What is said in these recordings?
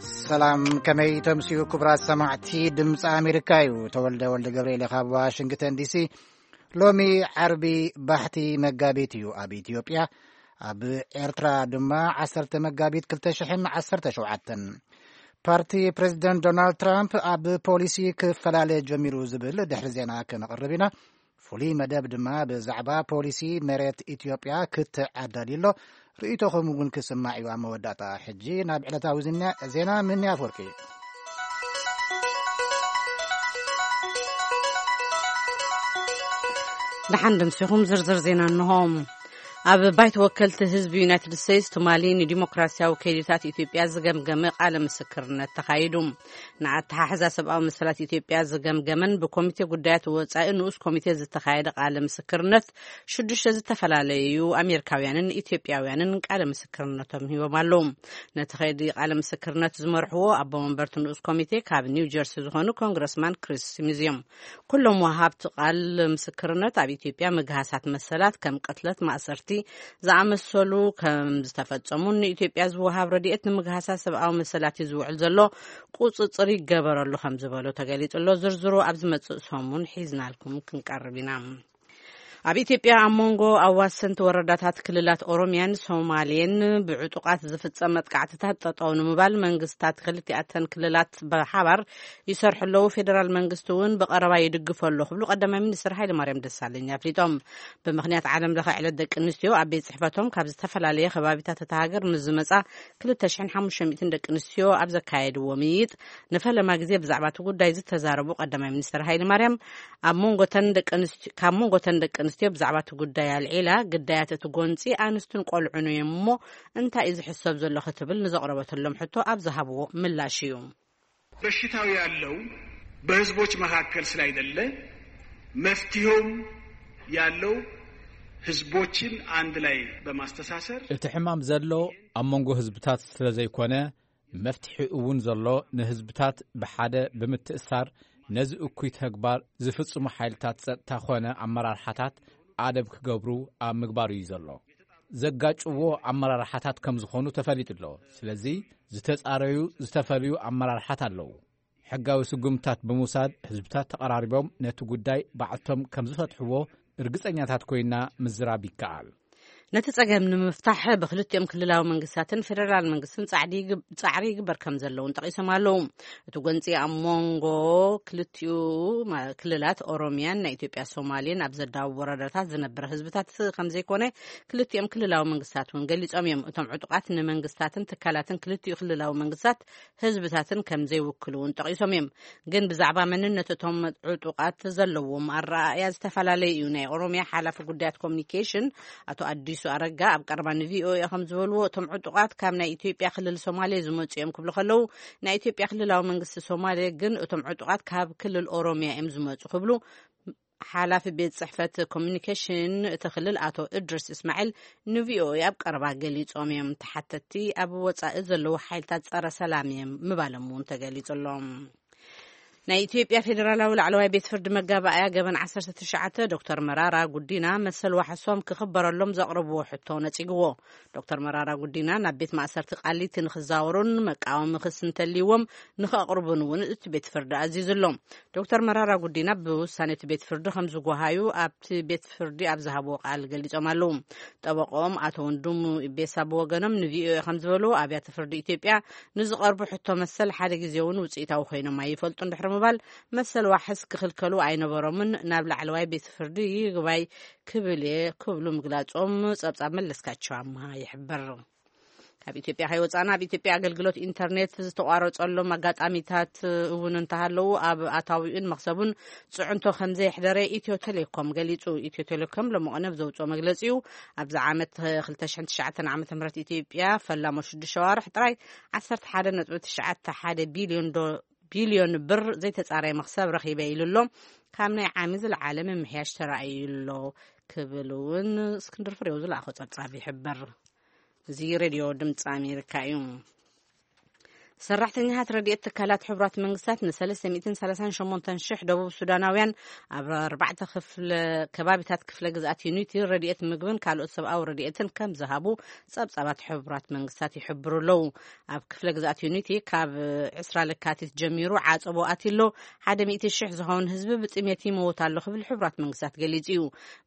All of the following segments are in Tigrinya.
ሰላም፣ ከመይ ተምስዩ ክቡራት ሰማዕቲ ድምፂ ኣሜሪካ እዩ። ተወልደ ወልደ ገብርኤል ካብ ዋሽንግተን ዲሲ። ሎሚ ዓርቢ ባሕቲ መጋቢት እዩ ኣብ ኢትዮጵያ። ኣብ ኤርትራ ድማ ዓሰርተ መጋቢት ክልተ ሽሕን ዓሰርተ ሸውዓተን። ፓርቲ ፕሬዚደንት ዶናልድ ትራምፕ ኣብ ፖሊሲ ክፈላለ ጀሚሩ ዝብል ድሕሪ ዜና ክነቕርብ ኢና። ፍሉይ መደብ ድማ ብዛዕባ ፖሊሲ መሬት ኢትዮጵያ ክትዓዳሊ ኣሎ። ርእይቶኹም እውን ክስማዕ እዩ ኣብ መወዳእታ። ሕጂ ናብ ዕለታዊ ዝና-፣ ዜና ምን ኣፍወርቂ። ደሓን ደምሲኹም ዝርዝር ዜና እንሆ። ኣብ ባይቶ ወከልቲ ህዝቢ ዩናይትድ ስቴትስ ትማሊ ንዲሞክራሲያዊ ከይዲታት ኢትዮጵያ ዝገምገመ ቃለ ምስክርነት ተኻይዱ። ንኣተሓሕዛ ሰብኣዊ መሰላት ኢትዮጵያ ዝገምገመን ብኮሚቴ ጉዳያት ወጻኢ ንኡስ ኮሚቴ ዝተኻየደ ቃለ ምስክርነት ሽዱሽተ ዝተፈላለዩ ኣሜሪካውያንን ኢትዮጵያውያንን ቃለ ምስክርነቶም ሂቦም ኣለዉ። ነቲ ከይዲ ቃለ ምስክርነት ዝመርሕዎ ኣቦ መንበርቲ ንኡስ ኮሚቴ ካብ ኒው ጀርሲ ዝኾኑ ኮንግረስማን ክሪስ ስሚዝ እዮም። ኩሎም ወሃብቲ ቃል ምስክርነት ኣብ ኢትዮጵያ ምግሃሳት መሰላት ከም ቅትለት፣ ማእሰርቲ ዝኣመሰሉ ከም ዝተፈጸሙን ንኢትዮጵያ ዝወሃብ ረድኤት ንምግሃሳት ሰብኣዊ መሰላት እዩ ዝውዕል ዘሎ፣ ቁጽጽር ይገበረሉ ከም ዝበሉ ተገሊጹ ኣሎ። ዝርዝሩ ኣብ ዝመጽእ ሰሙን ሒዝናልኩም ክንቀርብ ኢና። ኣብ ኢትዮጵያ ኣብ መንጎ ኣዋሰንቲ ወረዳታት ክልላት ኦሮሚያን ሶማሌን ብዕጡቓት ዝፍጸም መጥቃዕትታት ጠጠው ንምባል መንግስታት ክልቲኣተን ክልላት ብሓባር ይሰርሑ ኣለዉ። ፌደራል መንግስቲ እውን ብቐረባ ይድግፎ ኣሎ ክብሉ ቀዳማይ ሚኒስትር ሃይለማርያም ደሳለኝ ኣፍሊጦም። ብምኽንያት ዓለም ለኸ ዕለት ደቂ ኣንስትዮ ኣብ ቤት ጽሕፈቶም ካብ ዝተፈላለየ ከባቢታት እታ ሃገር ንዝመጻ ክልተ ሽሕን ሓሙሽተ ሚእትን ደቂ ኣንስትዮ ኣብ ዘካየድዎ ምይይጥ ንፈለማ ግዜ ብዛዕባ እቲ ጉዳይ ዝተዛረቡ ቀዳማይ ሚኒስትር ሃይለማርያም ኣብ መንጎተን ደቂ ኣንስትዮ፣ ካብ መንጎተን ደቂ ኣንስትዮ ብዛዕባ እቲ ጉዳይ ኣልዒላ፣ ግዳያት እቲ ጎንጺ ኣንስትን ቆልዑን እዮም እሞ እንታይ እዩ ዝሕሰብ ዘሎ ክትብል ንዘቕረበትሎም ሕቶ ኣብ ዝሃብዎ ምላሽ እዩ። በሽታው ያለው በህዝቦች መካከል ስላይደለ መፍትሄውም ያለው ህዝቦችን አንድ ላይ በማስተሳሰር። እቲ ሕማም ዘሎ ኣብ መንጎ ህዝብታት ስለ ዘይኮነ፣ መፍትሒ እውን ዘሎ ንህዝብታት ብሓደ ብምትእሳር ነዚ እኩይ ተግባር ዝፍጽሙ ሓይልታት ጸጥታ ኾነ ኣመራርሓታት ኣደብ ክገብሩ ኣብ ምግባር እዩ ዘሎ። ዘጋጭዎ ኣመራርሓታት ከም ዝኾኑ ተፈሊጡ ኣሎ። ስለዚ ዝተጻረዩ ዝተፈልዩ ኣመራርሓት ኣለዉ። ሕጋዊ ስጉምታት ብምውሳድ ህዝብታት ተቐራሪቦም ነቲ ጉዳይ ባዕልቶም ከም ዝፈትሕዎ እርግጸኛታት ኮይና ምዝራብ ይከኣል። ነቲ ጸገም ንምፍታሕ ብክልቲኦም ክልላዊ መንግስታትን ፌደራል መንግስትን ጻዕዲ ይግብ-፣ ጻዕሪ ይግበር ከም ዘለውን ጠቒሶም ኣለዉ። እቲ ጎንጺ ኣብ መንጎ ክልቲኡ ማ-፣ ክልላት ኦሮሚያን ናይ ኢትዮጵያ ሶማሌን ኣብ ዘዳውብ ወረዳታት ዝነብር ህዝብታት ከም ዘይኮነ ክልቲኦም ክልላዊ መንግስታት እውን ገሊጾም እዮም። እቶም ዕጡቓት ንመንግስታትን ትካላትን ክልቲኡ ክልላዊ መንግስታት ህዝብታትን ከም ዘይውክሉ እውን ጠቒሶም እዮም። ግን ብዛዕባ መንነት እቶም ዕጡቓት ዘለዎም ኣረኣእያ ዝተፈላለየ እዩ። ናይ ኦሮሚያ ሓላፊ ጉዳያት ኮሚኒኬሽን ኣቶ ኣዲሱ ኣረጋ ኣብ ቀረባ ንቪኦኤ ከም ዝበልዎ፣ እቶም ዕጡቓት ካብ ናይ ኢትዮጵያ ክልል ሶማሌ ዝመጹ እዮም ክብሉ ከለዉ፣ ናይ ኢትዮጵያ ክልላዊ መንግስቲ ሶማሌ ግን እቶም ዕጡቓት ካብ ክልል ኦሮሚያ እዮም ዝመጹ ክብሉ ሓላፊ ቤት ጽሕፈት ኮሚኒኬሽን እቲ ክልል ኣቶ እድሪስ እስማዒል ንቪኦኤ ኣብ ቀረባ ገሊጾም እዮም። ተሓተቲ ኣብ ወጻኢ ዘለዉ ሓይልታት ጸረ ሰላም እዮም ምባሎም እውን ተገሊጹ ኣሎ። ናይ ኢትዮጵያ ፌዴራላዊ ላዕለዋይ ቤት ፍርዲ መጋባእያ ገበን ዓሰርተ ትሽዓተ ዶክተር መራራ ጉዲና መሰል ዋሕሶም ክኽበረሎም ዘቕረብዎ ሕቶ ነጺግዎ። ዶክተር መራራ ጉዲና ናብ ቤት ማእሰርቲ ቃሊቲ ንኽዛወሩን መቃወሚ ክሲ እንተልይዎም ንኸቕርቡን እውን እቲ ቤት ፍርዲ ኣዚዙ ኣሎ። ዶክተር መራራ ጉዲና ብውሳኔ እቲ ቤት ፍርዲ ከም ዝጓሃዩ ኣብቲ ቤት ፍርዲ ኣብ ዝሃብዎ ቃል ገሊጾም ኣለዉ። ጠበቆም ኣቶ ወንድሙ ኢቤሳ ብወገኖም ንቪኦኤ ከም ዝበልዎ፣ ኣብያተ ፍርዲ ኢትዮጵያ ንዝቐርቡ ሕቶ መሰል ሓደ ግዜ እውን ውጽኢታዊ ኮይኖም ኣይፈልጡን ድሕሪ ምባል፣ መሰል ዋሕስ ክኽልከሉ ኣይነበሮምን፣ ናብ ላዕለዋይ ቤት ፍርዲ ይግባይ ክብል እየ ክብሉ ምግላጾም ጸብጻብ መለስካቸው ኣምሃ ይሕብር። ካብ ኢትዮጵያ ከይወጻና፣ ኣብ ኢትዮጵያ ኣገልግሎት ኢንተርኔት ዝተቋረጸሎም ኣጋጣሚታት እውን እንተሃለዉ፣ ኣብ ኣታዊኡን መኽሰቡን ጽዕንቶ ከም ዘየሕደረ ኢትዮ ቴሌኮም ገሊጹ። ኢትዮ ቴሌኮም ሎሚ ቀነ ብዘውጽኦ መግለጺኡ፣ ኣብዚ ዓመት ክልተ ሽሕን ትሽዓተን ዓመተ ምህረት ኢትዮጵያ ፈላሞ ሽዱሽተ ሸዋርሕ ጥራይ ዓሰርተ ሓደ ነጥቢ ትሽዓተ ሓደ ቢልዮን ዶ-፣ ቢልዮን ብር ዘይተጻረየ መኽሰብ ረኺበ ኢሉ ኣሎ። ካብ ናይ ዓሚ ዝለዓለ ምምሕያሽ ተራእዩ ኣሎ ክብል እውን እስክንድር ፍሬው ዝለኣኾ ጸብጻብ ይሕብር። እዚ ሬድዮ ድምፂ ኣሜሪካ እዩ። ሰራሕተኛታት ረድኤት ትካላት ሕቡራት መንግስታት ን338,000 ደቡብ ሱዳናውያን ኣብ ኣርባዕተ ክፍለ ከባቢታት ክፍለ ግዝኣት ዩኒቲ ረድኤት ምግብን ካልኦት ሰብኣዊ ረድኤትን ከም ዝሃቡ ጸብጻባት ሕቡራት መንግስታት ይሕብሩ ኣለዉ። ኣብ ክፍለ ግዝኣት ዩኒቲ ካብ ዕስራ ለካቲት ጀሚሩ ዓጸቦ ኣትሎ፣ ሓደ ሚእቲ ሽሕ ዝኸውን ህዝቢ ብጥሜት ይመውት ኣሎ ክብል ሕቡራት መንግስታት ገሊጹ እዩ።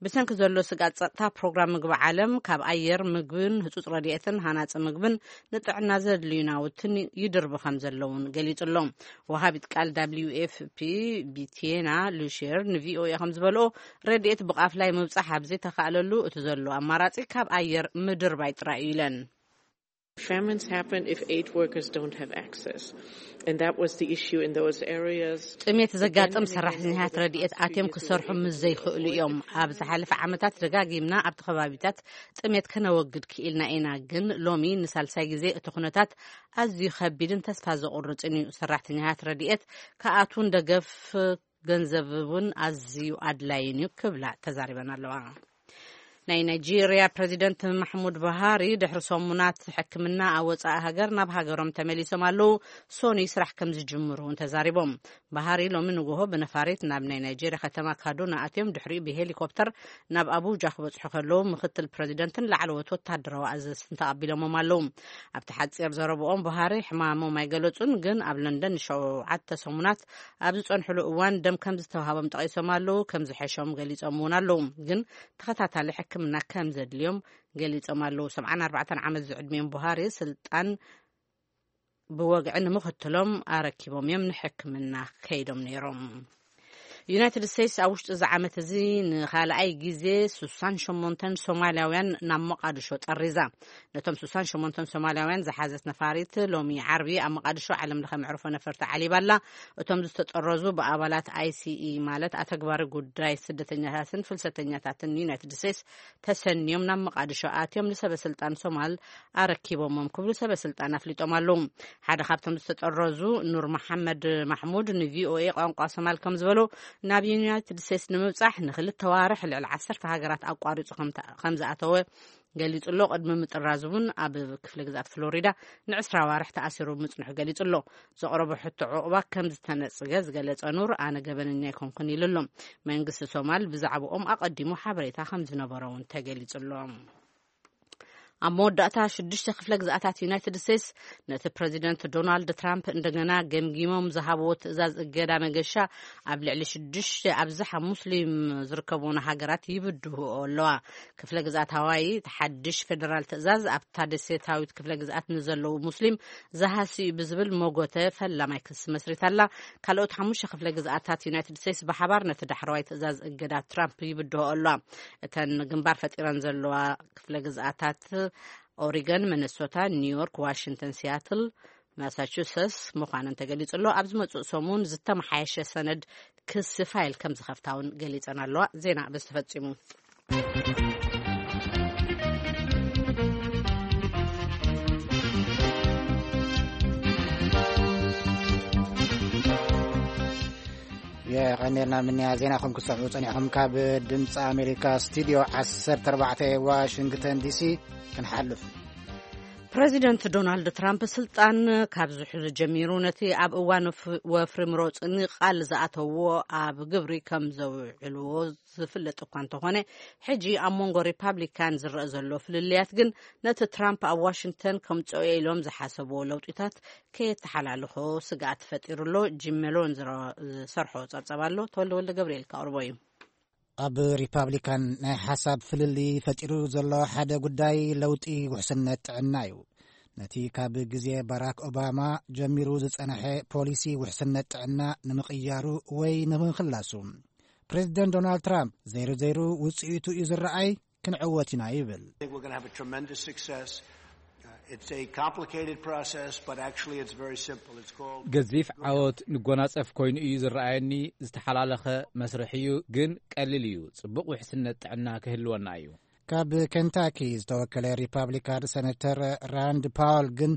ብሰንኪ ዘሎ ስጋት ጸጥታ፣ ፕሮግራም ምግቢ ዓለም ካብ ኣየር፣ ምግብን ህጹጽ ረድኤትን ሃናጺ ምግብን ንጥዕና ዘድልዩ ናውትን ይድርቡ ከም ዘለውን ገሊጹ ኣሎ። ወሃቢት ቃል W F P ቢቲና ሉሼር ን V O A ከም ዝበልኦ፣ ረድኤት ብቃፍላይ ምብጻሕ ኣብ ዘይተኻእለሉ እቲ ዘሎ ኣማራጺ ካብ ኣየር ምድርባይ ጥራይ እዩ ኢለን። Famines happen if aid workers don't have access. And that was the issue in those areas. ጥሜት ዘጋጥም ሰራሕተኛታት ረድኤት ኣትዮም ክሰርሑ ምስ ዘይክእሉ እዮም። ኣብ ዝሓለፈ ዓመታት ደጋጊምና ኣብቲ ከባቢታት ጥሜት ከነወግድ ክኢልና ኢና፣ ግን ሎሚ ንሳልሳይ ግዜ እቲ ኩነታት ኣዝዩ ከቢድን ተስፋ ዘቑርጽን እዩ። ሰራሕተኛታት ረድኤት ከኣትውን ደገፍ ገንዘብ እውን ኣዝዩ ኣድላይን እዩ ክብላ ተዛሪበን ኣለዋ። ናይ ናይጄርያ ፕረዚደንት ማሕሙድ ባሃሪ ድሕሪ ሰሙናት ሕክምና ኣብ ወጻኢ ሃገር ናብ ሃገሮም ተመሊሶም ኣለዉ። ሶኒ ስራሕ ከም ዝጅምሩ እውን ተዛሪቦም። ባሃሪ ሎሚ ንግሆ ብነፋሪት ናብ ናይ ናይጄርያ ከተማ ካዱና ኣትዮም፣ ድሕሪኡ ብሄሊኮፕተር ናብ ኣቡጃ ክበጽሑ ከለዉ ምክትል ፕረዚደንትን ላዕለዎት ወታደራዊ ኣዘዝትን ተቐቢሎሞም ኣለዉ። ኣብቲ ሓጺር ዘረብኦም፣ ባሃሪ ሕማሞም ኣይገለጹን፣ ግን ኣብ ለንደን ንሸውዓተ ሰሙናት ኣብ ዝጸንሕሉ እዋን ደም ከም ዝተዋሃቦም ጠቒሶም ኣለዉ። ከም ዝሐሾም ገሊጾም እውን ኣለዉ፣ ግን ተኸታታሊ ሕክምና ከም ዘድልዮም ገሊጾም ኣለዉ። ሰብዓን ኣርባዕተን ዓመት ዝዕድሚኦም ቡሃሪ ስልጣን ብወግዒ ንምኽትሎም ኣረኪቦም እዮም ንሕክምና ከይዶም ነይሮም። ዩናይትድ ስቴትስ ኣብ ውሽጢ እዚ ዓመት እዚ ንኻልኣይ ግዜ ስሳን ሸሞንተን ሶማልያውያን ናብ መቓድሾ ጠሪዛ። ነቶም ስሳን ሸሞንተን ሶማልያውያን ዝሓዘት ነፋሪት ሎሚ ዓርቢ ኣብ መቓድሾ ዓለም ለኸ መዕርፎ ነፈርቲ ዓሊባ ኣላ። እቶም ዝተጠረዙ ብኣባላት I C E፣ ማለት ኣተግባሪ ጉዳይ ስደተኛታትን ፍልሰተኛታትን ዩናይትድ ስቴትስ ተሰንዮም ናብ መቓድሾ ኣትዮም ንሰበ ስልጣን ሶማል ኣረኪቦሞም ክብሉ ሰበ ስልጣን ኣፍሊጦም ኣለዉ። ሓደ ካብቶም ዝተጠረዙ ኑር መሓመድ ማሕሙድ ን V O A ቋንቋ ሶማል ከም ዝበሎ፣ ናብ ዩናይትድ ስቴትስ ንምብጻሕ ንክልተ ዋርሕ ልዕሊ ዓሰርተ ሃገራት ኣቋሪጹ ከም ተ-፣ ከም ዝኣተወ ገሊጹ ኣሎ። ቅድሚ ምጥራዙ እውን ኣብ ክፍለ ግዝኣት ፍሎሪዳ ንዕስራ ዋርሕ ተኣሲሩ ምጽንሑ ገሊጹ ኣሎ። ዘቕረቦ ሕቶ ዕቑባ ከም ዝተነጽገ ዝገለጸ ኑር፣ ኣነ ገበነኛ ኣይኮንኩን ኢሉ ኣሎ። መንግስቲ ሶማል ብዛዕባኦም ኣቐዲሙ ሓበሬታ ከም ዝነበሮ እውን ተገሊጹ ኣሎ። ኣብ መወዳእታ ሽዱሽተ ክፍለ ግዝኣታት ዩናይትድ ስቴትስ ነቲ ፕረዚደንት ዶናልድ ትራምፕ እንደገና ገምጊሞም ዝሃብዎ ትእዛዝ እገዳ መገሻ ኣብ ልዕሊ ሽዱሽተ ኣብዝሓ ሙስሊም ዝርከብዎን ሃገራት ይብድህኦ ኣለዋ። ክፍለ ግዝኣት ሃዋይ እቲ ሓድሽ ፌደራል ትእዛዝ ኣብታ ደሴታዊት ክፍለ ግዝኣት ንዘለዉ ሙስሊም ዝሃሲ እዩ ብዝብል መጎተ ፈላማይ ክሲ መስሪታ ኣላ። ካልኦት ሓሙሽተ ክፍለ ግዝኣታት ዩናይትድ ስቴትስ ብሓባር ነቲ ዳሕረዋይ ትእዛዝ እገዳ ትራምፕ ይብድህኦ ኣለዋ። እተን ግንባር ፈጢረን ዘለዋ ክፍለ ግዝኣታት ኦሪገን፣ ሚነሶታ፣ ኒውዮርክ፣ ዋሽንግተን፣ ሲያትል፣ ማሳቹሰትስ ምዃነን ተገሊጹ ኣሎ። ኣብ ዝመጽእ ሰሙን ዝተመሓየሸ ሰነድ ክሲ ፋይል ከም ዝኸፍታ እውን ገሊጸን ኣለዋ። ዜና በዚ ተፈጺሙ። የቐኔልና ምንያ ዜናኹም ክትሰምዑ ጸኒሕኹም። ካብ ድምፂ ኣሜሪካ ስቱዲዮ ዓሰርተ ኣርባዕተ ዋሽንግተን ዲሲ ክንሓልፍ። ፕረዚደንት ዶናልድ ትራምፕ ስልጣን ካብ ዝሕዙ ጀሚሩ ነቲ ኣብ እዋን ወፍ-፣ ወፍሪ ምሮጽኒ ቃል ዝኣተዎ ኣብ ግብሪ ከም ዘውዕልዎ ዝፍለጥ እኳ እንተኾነ፣ ሕጂ ኣብ መንጎ ሪፓብሊካን ዝረአ ዘሎ ፍልልያት ግን ነቲ ትራምፕ ኣብ ዋሽንግተን ከምጽኦ ኢሎም ዝሓሰብዎ ለውጢታት ከየተሓላልኾ ስግኣት ፈጢሩ ኣሎ። ጂም ሜሎን ዝረ-፣ ዝሰርሖ ጸብጸብ ኣሎ። ተወልደ ወልደ ገብርኤል ከቕርቦ እዩ። ኣብ ሪፓብሊካን ናይ ሓሳብ ፍልልይ ፈጢሩ ዘሎ ሓደ ጉዳይ ለውጢ ውሕስነት ጥዕና እዩ። ነቲ ካብ ግዜ ባራክ ኦባማ ጀሚሩ ዝጸንሐ ፖሊሲ ውሕስነት ጥዕና ንምቕያሩ ወይ ንምኽላሱ፣ ፕሬዚደንት ዶናልድ ትራምፕ ዘይሩ ዘይሩ ውጽኢቱ እዩ ዝረኣይ፣ ክንዕወት ኢና ይብል። I think we're gonna have a tremendous success. Uh, it's a complicated process, but actually it's very simple. It's called ገዚፍ ዓወት ንጎናጸፍ ኮይኑ እዩ ዝረኣየኒ። ዝተሓላለኸ መስርሕ እዩ፣ ግን ቀሊል እዩ። ጽቡቕ ውሕስነት ጥዕና ክህልወና እዩ። ካብ ኬንታኪ ዝተወከለ ሪፓብሊካን ሰነተር ራንድ ፓወል ግን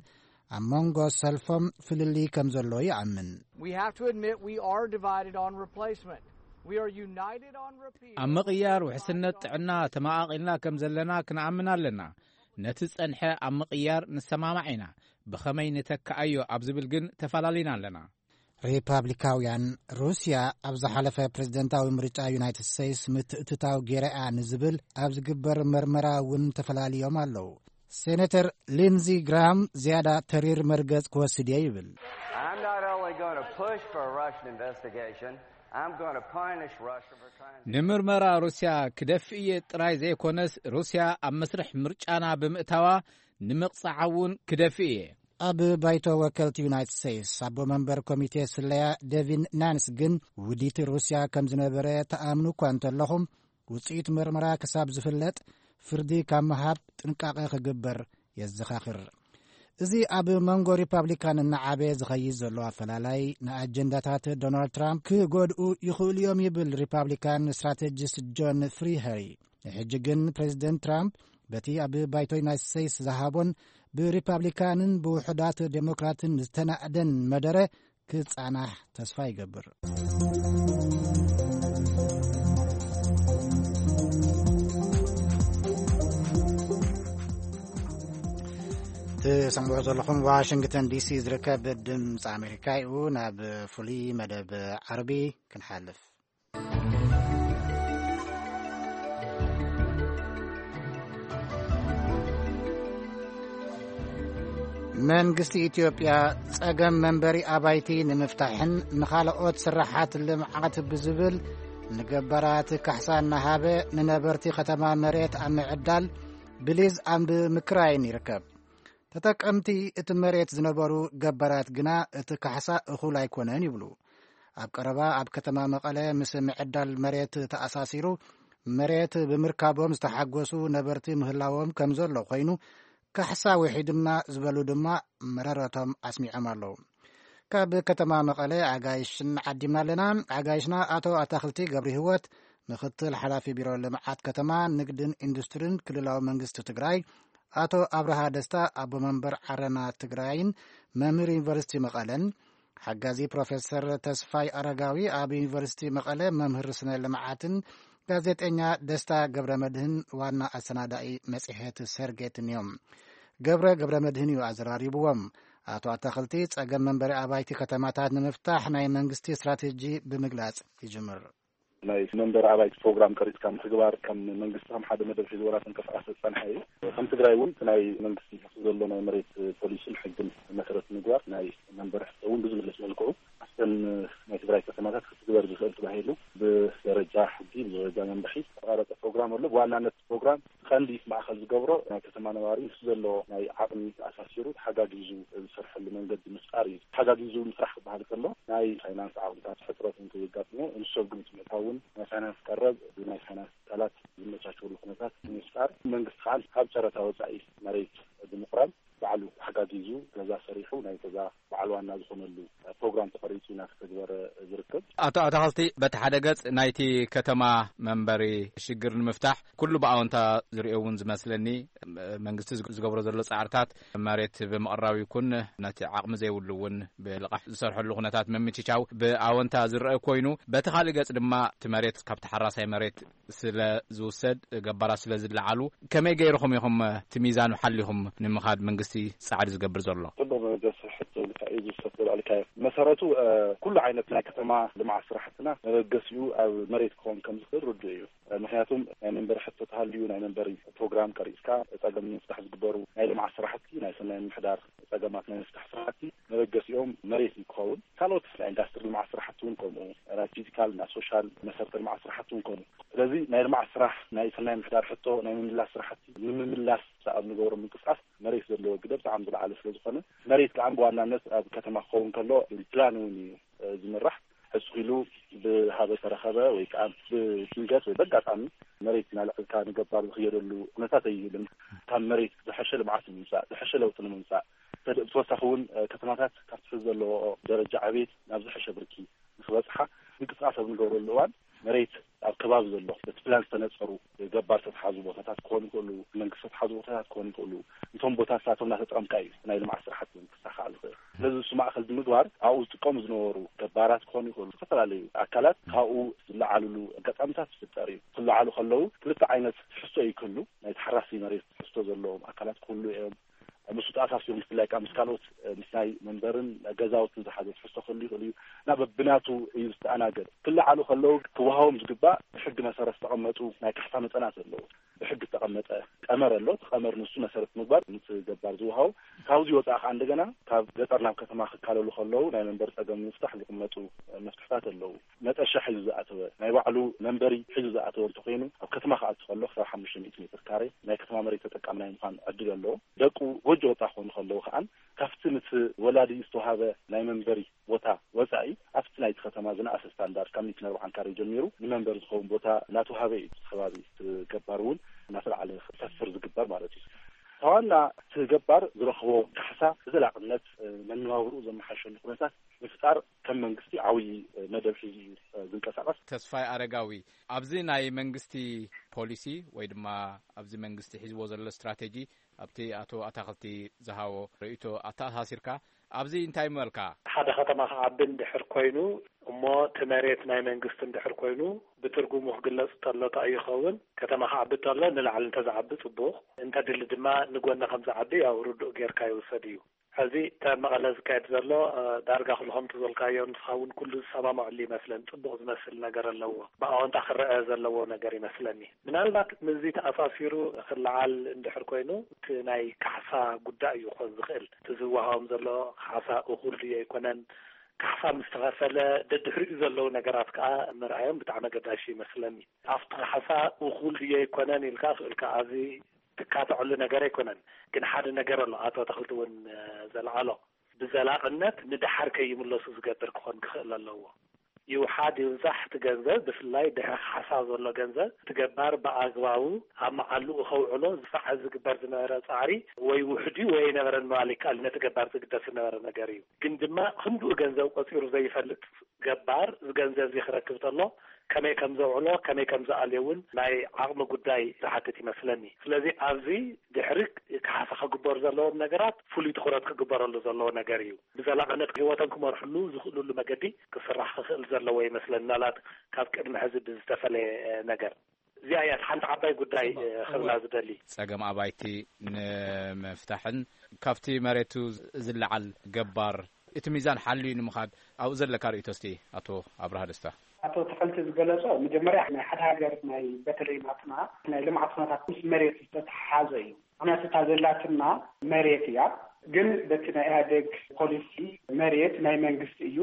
ኣብ መንጎ ሰልፎም ፍልልይ ከም ዘሎ ይኣምን። We have to admit we are divided on replacement. We are united on repeal. ኣብ ምቕያር ውሕስነት ጥዕና ተመቓቒልና ከም ዘለና ክንኣምን ኣለና። ነቲ ዝጸንሐ ኣብ ምቕያር ንሰማማዕ ኢና። ብኸመይ ንተክኣዮ ኣብ ዝብል ግን ተፈላለዩና ኣለና። ሪፓብሊካውያን፣ ሩስያ ኣብ ዝሓለፈ ፕሬዝደንታዊ ምርጫ ዩናይትድ ስቴትስ ምትእትታው ገይራ'ያ ንዝብል ኣብ ዝግበር መርመራ እውን ተፈላልዮም ኣለዉ። ሴኔተር ሊንዚ ግራም ዝያዳ ተሪር መርገጽ ክወስድ እየ ይብል። I'm not only going to push for a Russian investigation, I'm going to punish Russia for trying to ንምርመራ ሩስያ ክደፍእ እየ ጥራይ ዘይኮነስ፣ ሩስያ ኣብ መስርሕ ምርጫና ብምእታዋ ንምቕጻዓ እውን ክደፍእ እየ። ኣብ ባይቶ ወከልቲ ዩናይትድ ስቴትስ ኣቦ መንበር ኮሚቴ ስለያ ዴቪን ናንስ ግን ውዲት ሩስያ ከም ዝነበረ ተኣምኑ እኳ እንተለኹም፣ ውጽኢት መርመራ ክሳብ ዝፍለጥ ፍርዲ ካብ ምሃብ ጥንቃቐ ክግበር የዘኻኽር። እዚ ኣብ መንጎ ሪፓብሊካን እናዓበየ ዝኸይድ ዘሎ ኣፈላላይ ንኣጀንዳታት ዶናልድ ትራምፕ ክጎድኡ ይኽእሉ እዮም ይብል ሪፓብሊካን ስትራቴጂስት ጆን ፍሪሀሪ። ንሕጂ ግን ፕሬዚደንት ትራምፕ በቲ ኣብ ባይቶ ዩናይትድ ስቴትስ ዝሃቦን ብሪፓብሊካንን ብውሑዳት ዴሞክራትን ዝተናእደን መደረ ክጻናሕ ተስፋ ይገብር። ትሰምዑ ዘለኹም ዋሽንግተን ዲሲ ዝርከብ ድምፂ ኣሜሪካ እዩ። ናብ ፍሉይ መደብ ዓርቢ ክንሓልፍ። መንግስቲ ኢትዮጵያ ጸገም መንበሪ ኣባይቲ ንምፍታሕን ንኻልኦት ስራሓት ልምዓት ብዝብል ንገባራት ካሕሳ እናሃበ ንነበርቲ ከተማ መሬት ኣብ ምዕዳል ብሊዝ ኣብ ምክራይን ይርከብ። ተጠቀምቲ እቲ መሬት ዝነበሩ ገባራት ግና እቲ ካሕሳ እኹል ኣይኮነን ይብሉ። ኣብ ቀረባ ኣብ ከተማ መቐለ ምስ ምዕዳል መሬት ተኣሳሲሩ መሬት ብምርካቦም ዝተሓጎሱ ነበርቲ ምህላዎም ከም ዘሎ ኮይኑ፣ ካሕሳ ውሒዱና ዝበሉ ድማ መረረቶም ኣስሚዖም ኣለዉ። ካብ ከተማ መቐለ ኣጋይሽን ዓዲምና ኣለና። ኣጋይሽና ኣቶ ኣታኽልቲ ገብሪ ህይወት፣ ምክትል ሓላፊ ቢሮ ልምዓት ከተማ፣ ንግድን ኢንዱስትሪን ክልላዊ መንግስቲ ትግራይ፣ ኣቶ ኣብርሃ ደስታ፣ ኣቦ መንበር ዓረና ትግራይን መምህር ዩኒቨርሲቲ መቐለን፣ ሓጋዚ ፕሮፌሰር ተስፋይ ኣረጋዊ፣ ኣብ ዩኒቨርሲቲ መቐለ መምህር ስነ ልምዓትን፣ ጋዜጠኛ ደስታ ገብረ መድህን፣ ዋና ኣሰናዳኢ መጽሔት ሰርጌትን እዮም። ገብረ ገብረ መድህን እዩ ኣዘራሪብዎም። ኣቶ ኣታኽልቲ ጸገም መንበሪ ኣባይቲ ከተማታት ንምፍታሕ ናይ መንግስቲ ስትራቴጂ ብምግላጽ ይጅምር። ናይ መንበሪ ኣባይቲ ፕሮግራም ቀሪጽካ ምትግባር ከም መንግስቲ ከም ሓደ መደብ ሒዝዎ እናተንቀሳቐሰ ዝጸንሐ እዩ። ከም ትግራይ እውን እቲ ናይ መንግስቲ ዘሎ ናይ መሬት ፖሊሲን ሕግን መሰረት ምግባር ናይ መንበሪ ሕቶ እውን ብዝምልስ መልክዑ ኣብተን ናይ ትግራይ ከተማታት ክትግበር ዝኽእል ተባሂሉ ብደረጃ ሕጊ፣ ብደረጃ መምርሒ ዝተቐረጸ ፕሮግራም ኣሎ። ብዋናነት ፕሮግራም ቀንዲ ማእከል ዝገብሮ ናይ ከተማ ነባሪ ምስ ዘሎ ናይ ዓቕሚ ተኣሳሲሩ ተሓጋጊዙ ዝሰርሐሉ መንገዲ ምፍጣር እዩ። ተሓጋጊዙ ምስራሕ ክበሃል ከሎ ናይ ፋይናንስ ዓቕምታት ሕፅረት እንተየጋጥሞ ንሱ ኣብ ግምት ምእታውን ናይ ፋይናንስ ቀረብ ብናይ ፋይናንስ ትካላት ዝመቻቸወሉ ኩነታት ንምፍጣር፣ መንግስቲ ከዓ ካብ ጨረታ ወፃኢ መሬት ብምቕራብ ባዕሉ ተሓጋጊዙ ገዛ ሰሪሑ ናይ ገዛ በዓል ዋና ዝኾነሉ ፕሮግራም ተቐሪፁ እናተተግበረ ዝርከብ። ኣቶ ኣታኽልቲ፣ በቲ ሓደ ገጽ ናይቲ ከተማ መንበሪ ሽግር ንምፍታሕ ኩሉ ብኣወንታ ዝርእዮ እውን ዝመስለኒ፣ መንግስቲ ዝግ-፣ ዝገብሮ ዘሎ ጻዕርታት መሬት ብምቕራብ ይኩን ነቲ ዓቕሚ ዘይብሉ እውን ብልቓሕ ዝሰርሐሉ ኩነታት ምምችቻው ብኣወንታ ዝረአ ኮይኑ፣ በቲ ካልእ ገጽ ድማ እቲ መሬት ካብ ተሓራሳይ መሬት ስለ ዝውሰድ፣ ገባራት ስለ ዝለዓሉ፣ ከመይ ገይርኹም ኢኹም እቲ ሚዛን ሓሊኹም ንምኻድ መንግስቲ ጻዕሪ ዝገብር ዘሎ? ጽቡቕ መበገሲ ሕቶ ኢልካ እዩ ዝውሰድ ተባልካዮ። መሰረቱ፣ እ፣ ኩሉ ዓይነት ናይ ከተማ ልምዓት ስራሕትና መበገሲኡ ኣብ መሬት ክኸውን ከም ዝኽእል ርዱእ እዩ። እ፣ ምኽንያቱም ናይ መንበሪ ሕቶ ተሃልዩ ናይ መንበሪ ፕሮግራም ቀሪጽካ ጸገም ንምፍታሕ ዝግበሩ ናይ ልምዓት ስራሕቲ፣ ናይ ሰናይ ምምሕዳር ጸገማት ናይ ምፍታሕ ስራሕቲ መበገሲኦም መሬት እዩ ክኸውን። ካልኦት ናይ ኢንዳስትሪ ልምዓት ስራሕቲ እውን ከምኡ፣ ናይ ፊዚካል፣ ናይ ሶሻል መሰረተ ልምዓት ስራሕቲ እውን ከምኡ። ስለዚ ናይ ልምዓት ስራሕ፣ ናይ ሰናይ ምምሕዳር ሕቶ ናይ ምምላስ ስራሕቲ ንምምላስ ኣብ ንገብሮ ምንቅስቃስ መሬት ዘለዎ ግደ ብጣዕሚ ዝለዓለ ስለ ዝኾነ፣ መሬት ከዓ ብዋናነት ኣብ ከተማ ክኸውን ከሎ ብፕላን እውን እዩ፣ እ፣ ዝምራሕ። ሕጽ ኢሉ ብሃበ ተረኸበ ወይ ከዓ ብድንገት ወይ በጋጣሚ መሬት እናልዐልካ ንገባር ዝኽየደሉ ኩነታት ኣይህልን። ካብ መሬት ዝሐሸ ልምዓት ንምምፃእ፣ ዝሐሸ ለውጢ ንምምፃእ፣ ተደ-፣ ብተወሳኺ እውን፣ እ፣ ከተማታት ካብቲ ሕዚ ዘለዎ ደረጃ ዕቤት ናብ ዝሐሸ ብርኪ ንክበፅሓ ምንቅስቃስ ኣብ ንገብረሉ እዋን መሬት ኣብ ከባቢ ዘሎ በቲ ፕላን ዝተነፀሩ ገባር ዝተትሓዙ ቦታታት ክኾኑ ይኽእሉ፣ መንግስቲ ዝተትሓዙ ቦታታት ክኾኑ ይኽእሉ። እቶም ቦታታት እቶም እናተጠቐምካ እዩ ናይ ልምዓት ስራሕቲ ክሳኻዕ ዝኽእል። ስለዚ እሱ ማእኸል ብምግባር ኣብኡ ዝጥቀሙ ዝነበሩ ገባራት ክኾኑ ይኽእሉ፣ ዝተፈላለዩ ኣካላት ካብኡ ዝለዓልሉ ኣጋጣሚታት ዝፍጠር እዩ። ክለዓሉ ከለዉ ክልተ ዓይነት ትሕዝቶ እዩ ክህሉ። ናይ ተሓራሲ መሬት ትሕዝቶ ዘለዎም ኣካላት ክህሉ እዮም። ምስ ተኣሳሲሩ ብፍላይ ከዓ ምስ ካልኦት፣ ምስ ናይ መንበርን ገዛውትን ዝሓዘ ትሕዝቶ ክህሉ ይኽእል እዩ። እና በብናቱ እዩ ዝተኣናገድ። ክለዓሉ ከለዉ ክወሃቦም ዝግባእ ብሕጊ መሰረት ዝተቐመጡ ናይ ካሕሳ መጠናት ኣለዉ። ብሕጊ ዝተቐመጠ ቀመር ኣሎ። እቲ ቀመር ንሱ መሰረት ምግባር ምስ ገባር ዝወሃቡ። ካብዚ ወፃኢ ከዓ እንደገና ካብ ገጠር ናብ ከተማ ክካለሉ ከለዉ ናይ መንበሪ ፀገም ንምፍታሕ ዝቕመጡ መፍትሕታት ኣለዉ። መጠሻ ሒዙ ዝኣተወ፣ ናይ ባዕሉ መንበሪ ሒዙ ዝኣተወ እንተኾይኑ፣ ኣብ ከተማ ክኣቱ ከሎ ክሳብ ሓሙሽተ ሚእቲ ሜትር ካሬ ናይ ከተማ መሬት ተጠቃሚ ናይ ምዃን ዕድል ኣለዎ። ደቁ ጎጆ ወፃ ክኾኑ ከለዉ ከዓን ካብቲ ምስ ወላዲ ዝተዋሃበ ናይ መንበሪ ቦታ ወፃኢ ኣብቲ ናይቲ ከተማ ዝነኣሰ ስታንዳርድ ካብ ሚእትን ኣርባዓን ካሬ ጀሚሩ ንመንበሪ ዝኸውን ቦታ እናተዋሃበ እዩ። እቲ ከባቢ እቲ ገባር እውን እናተለዓለ ክሰፍር ዝግበር ማለት እዩ። እቲ ዋና እቲ ገባር ዝረኽቦ ካሕሳ ብዘላቕነት፣ እ፣ መነባብርኡ ዘመሓሸሉ ኩነታት ምፍጣር ከም መንግስቲ ዓብዪ፣ እ፣ መደብ ሒዙ እዩ፣ እ፣ ዝንቀሳቐስ። ተስፋይ ኣረጋዊ፣ ኣብዚ ናይ መንግስቲ ፖሊሲ ወይ ድማ ኣብዚ መንግስቲ ሒዝዎ ዘሎ ስትራቴጂ ኣብቲ ኣቶ ኣታኽልቲ ዝሃቦ ርእይቶ ኣተኣሳሲርካ ኣብዚ እንታይ ምበልካ? ሓደ ከተማ ክዓቢ እንድሕር ኮይኑ እሞ እቲ መሬት ናይ መንግስቲ እንድሕር ኮይኑ ብትርጉሙ ክግለጽ እንተሎ እንታይ እዩ ይኸውን? ከተማ ክዓቢ እንተሎ ንላዕሊ እንተዝዓቢ ጽቡቕ፣ እንተድሊ ድማ ንጎኒ ከም ዝዓቢ ያው ርዱእ ጌርካ ይውሰድ እዩ። ሕዚ ካብ መቐለ ዝካየድ ዘሎ፣ እ፣ ዳርጋ ኩሉ ከምቲ ዝበልካዮ ንስኻ እውን ኩሉ ዝሰማምዐሉ ይመስለን፣ ጽቡቕ ዝመስል ነገር ኣለዎ፣ ብኣወንታ ክረአ ዘለዎ ነገር ይመስለኒ። ምናልባት ምስዚ ተኣሳሲሩ ክለዓል እንድሕር ኮይኑ እቲ ናይ ካሕሳ ጉዳይ እዩ ክኾን ዝኽእል። እቲ ዝወሃቦም ዘሎ ካሕሳ እኹል ድዩ ኣይኮነን፣ ካሕሳ ምስ ተኸፈለ ደድሕሪኡ ዘለዉ ነገራት ከኣ ምርኣዮም ብጣዕሚ ኣገዳሲ ይመስለኒ። ኣብቲ ካሕሳ እኹል ድዩ ኣይኮነን ኢልካ ክእልካ ኣብዚ ትካትዐሉ ነገር ኣይኮነን። ግን ሓደ ነገር ኣሎ፣ ኣቶ ተኽልቲ እውን፣ እ፣ ዘልዓሎ፣ ብዘላቕነት ንደሓር ከይምለሱ ዝገብር ክኾን ክኽእል ኣለዎ። ይውሓድ ይብዛሕ እቲ ገንዘብ፣ ብፍላይ ድሕሪ ካሕሳ ዘሎ ገንዘብ፣ እቲ ገባር ብኣግባቡ ኣብ መዓልኡ ከውዕሎ ዝፋዕ ዝግበር ዝነበረ ጻዕሪ ወይ ውሑድ እዩ ወይ ኣይነበረን ምባል ይከኣል። ነቲ ገባር ዝግደስ ዝነበረ ነገር እዩ። ግን ድማ ክንድኡ ገንዘብ ቆጺሩ ዘይፈልጥ ገባር እዚ ገንዘብ እዚ ክረክብ ተሎ ከመይ ከም ዘውዕሎ፣ ከመይ ከም ዝኣልዮ እውን ናይ ዓቕሚ ጉዳይ ዝሓትት ይመስለኒ። ስለዚ ኣብዚ ድሕሪ ካሕሳ ክግበሩ ዘለዎም ነገራት ፍሉይ ትኹረት ክግበረሉ ዘለዎ ነገር እዩ። ብዘላቕነት ህይወቶም ክመርሕሉ ዝኽእሉሉ መገዲ ክስራሕ ክኽእል ዘለዎ ይመስለኒ፣ ምናልባት ካብ ቅድሚ ሕዚ ብዝተፈለየ ነገር። እዚኣ እያ እቲ ሓንቲ ዓባይ ጉዳይ፣ እወ፣ እ፣ ክብላ እወ። ዝደሊ። ጸገም ኣባይቲ ንምፍታሕን ካብቲ መሬቱ ዝለዓል ገባር እቲ ሚዛን ሓልዩ ንምኻድ ኣብኡ ዘለካ ርእይቶ እስቲ ኣቶ ኣብርሃ ደስታ። ኣቶ ተኸልቲ ዝገለጾ መጀመርያ ናይ ሓደ ሃገር ናይ በተለይ ናትና ናይ ልምዓት ኩነታት ምስ መሬት ዝተተሓሓዘ እዩ። ምክንያቱ እታ ዘላትና መሬት እያ። ግን በቲ ናይ ኢህኣዴግ ፖሊሲ መሬት ናይ መንግስቲ እዩ።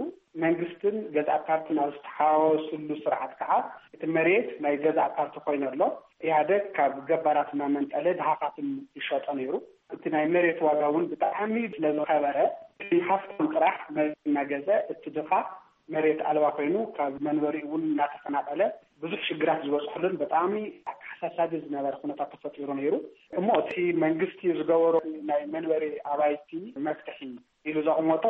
መንግስትን ገዛእ ፓርትን ኣብ ዝተሓዋወስሉ ስርዓት ከዓ እቲ መሬት ናይ ገዛእ ፓርቲ ኮይኑ ኣሎ። ኢህኣዴግ ካብ ገባራት እናመንጠለ ድሃኻትን ይሸጦ ነይሩ። እቲ ናይ መሬት ዋጋ እውን ብጣዕሚ ስለዝኸበረ፣ እቲ ሃፍታም ጥራሕ መሬት እናገዘ፣ እቲ ድኻ መሬት ኣልባ ኮይኑ ካብ መንበሪኡ እውን እናተፈናቐለ ብዙሕ ሽግራት ዝበፅሐሉን ብጣዕሚ ኣተሓሳሳቢ ዝነበረ ኩነታት ተፈጢሩ ነይሩ። እሞ እቲ መንግስቲ ዝገበሮ ናይ መንበሪ ኣባይቲ መፍትሒ ኢሉ ዘቕመጦ